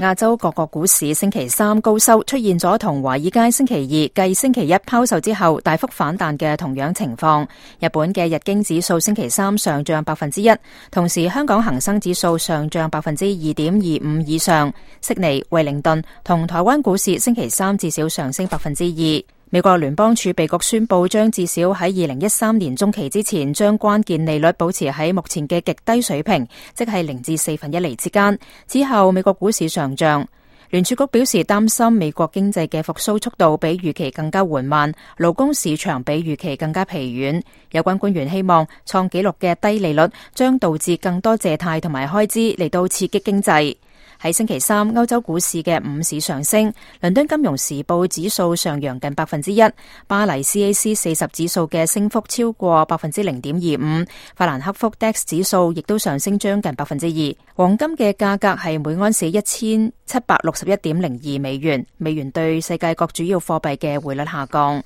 亞洲各國股市星期三高收，出現咗同華爾街星期二繼星期一拋售之後大幅反彈嘅同樣情況。日本嘅日經指數星期三上漲1%，同時香港恒生指數上漲2.25%以上。悉尼、惠靈頓同台灣股市星期三至少上升2%。美國聯邦儲備局宣布將至少喺2013年中期之前將關鍵利率保持喺目前嘅極低水平，即係0至1/4厘之間。之後美國股市上漲。聯儲局表示擔心美國經濟嘅復甦速度比預期更加緩慢，勞工市場比預期更加疲軟。有關官員希望創紀錄嘅低利率將導致更多借貸同埋開支嚟到刺激經濟。喺星期三，歐洲股市嘅午市上升，倫敦金融時報指數上揚近1%，巴黎 CAC 40指數嘅升幅超過0.25%，法蘭克福 DAX 指數亦都上升將近2%。黃金嘅價格係每盎司1761.02美元，美元對世界各主要貨幣嘅匯率下降。